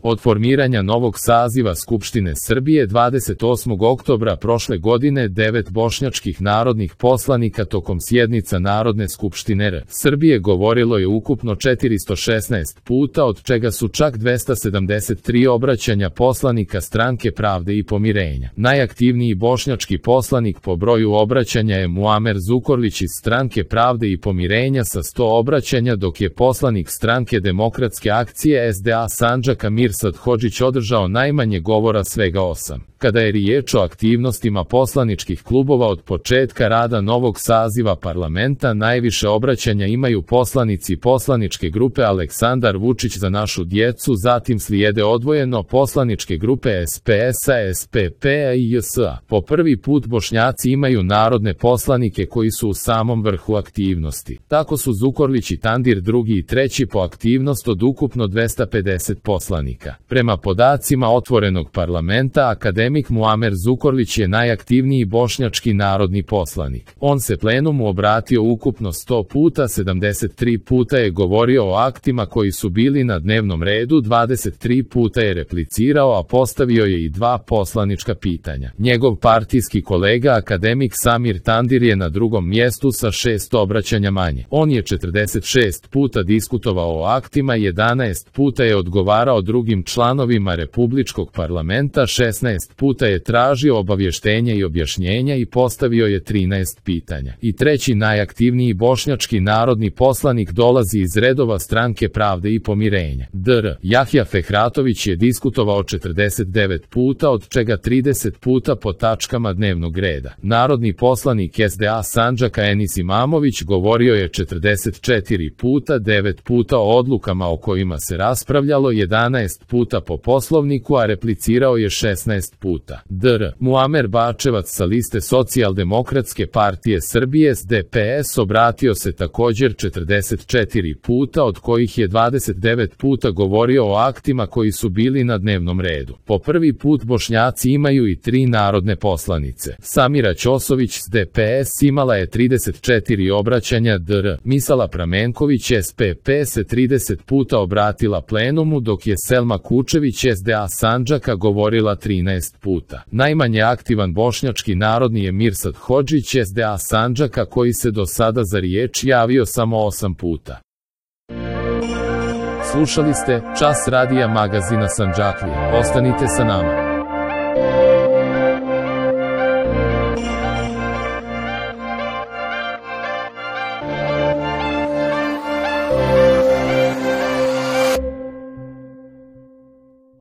Od formiranja novog saziva Skupštine Srbije 28. oktobra prošle godine 9 bošnjačkih narodnih poslanika tokom sjednica Narodne skupštine Srbije govorilo je ukupno 416 puta, od čega su čak 273 obraćanja poslanika Stranke pravde i pomirenja. Najaktivniji bošnjački poslanik po broju obraćanja je Muamer Zukorlić iz Stranke pravde i pomirenja sa 100 obraćanja, dok je poslanik Stranke demokratske akcije SDA Sandžaka Mirsad Hodžić održao najmanje govora, svega 8. Kada je riječ o aktivnostima poslaničkih klubova od početka rada novog saziva parlamenta, najviše obraćanja imaju poslanici poslaničke grupe Aleksandar Vučić – Za našu djecu, zatim slijede odvojeno poslaničke grupe SPS-a, SPP-a i JS-a. Po prvi put Bošnjaci imaju narodne poslanike koji su u samom vrhu aktivnosti. Tako su Zukorlić i Tandir drugi i treći po aktivnost od ukupno 250 poslanika. Prema podacima Otvorenog parlamenta, akademik Muamer Zukorlić je najaktivniji bošnjački narodni poslanik. On se plenumu obratio ukupno 100 puta, 73 puta je govorio o aktima koji su bili na dnevnom redu, 23 puta je replicirao, a postavio je i 2 poslanička pitanja. Njegov partijski kolega akademik Samir Tandir je na drugom mjestu sa 6 obraćanja manje. On je 46 puta diskutovao o aktima, 11 puta je odgovarao drugim članovima Republičkog parlamenta, 16 puta je tražio obavještenja i objašnjenja i postavio je 13 pitanja. I treći najaktivniji bošnjački narodni poslanik dolazi iz redova Stranke pravde i pomirenja. Dr. Jahja Fehratović je diskutovao 49 puta, od čega 30 puta po tačkama dnevnog reda. Narodni poslanik SDA Sandžaka Enis Imamović govorio je 44 puta, 9 puta o odlukama o kojima se raspravljalo, 11 puta po Poslovniku, a replicirao je 16 puta. Dr. Muamer Bačevac sa liste Socijaldemokratske partije Srbije DPS obratio se također 44 puta, od kojih je 29 puta govorio o aktima koji su bili na dnevnom redu. Po prvi put Bošnjaci imaju i 3 narodne poslanice. Samira Ćosović s DPS imala je 34 obraćanja, dr. Misala Pramenković SPP se 30 puta obratila plenumu, dok je Selma Kučević SDA Sandžaka govorila 13 puta. Najmanje aktivan bošnjački narodni je Mirsad Hodžić SDA Sandžaka, koji se do sada za riječ javio samo 8 puta. Slušali ste Čas radija magazina Sandžaklija. Ostanite sa nama.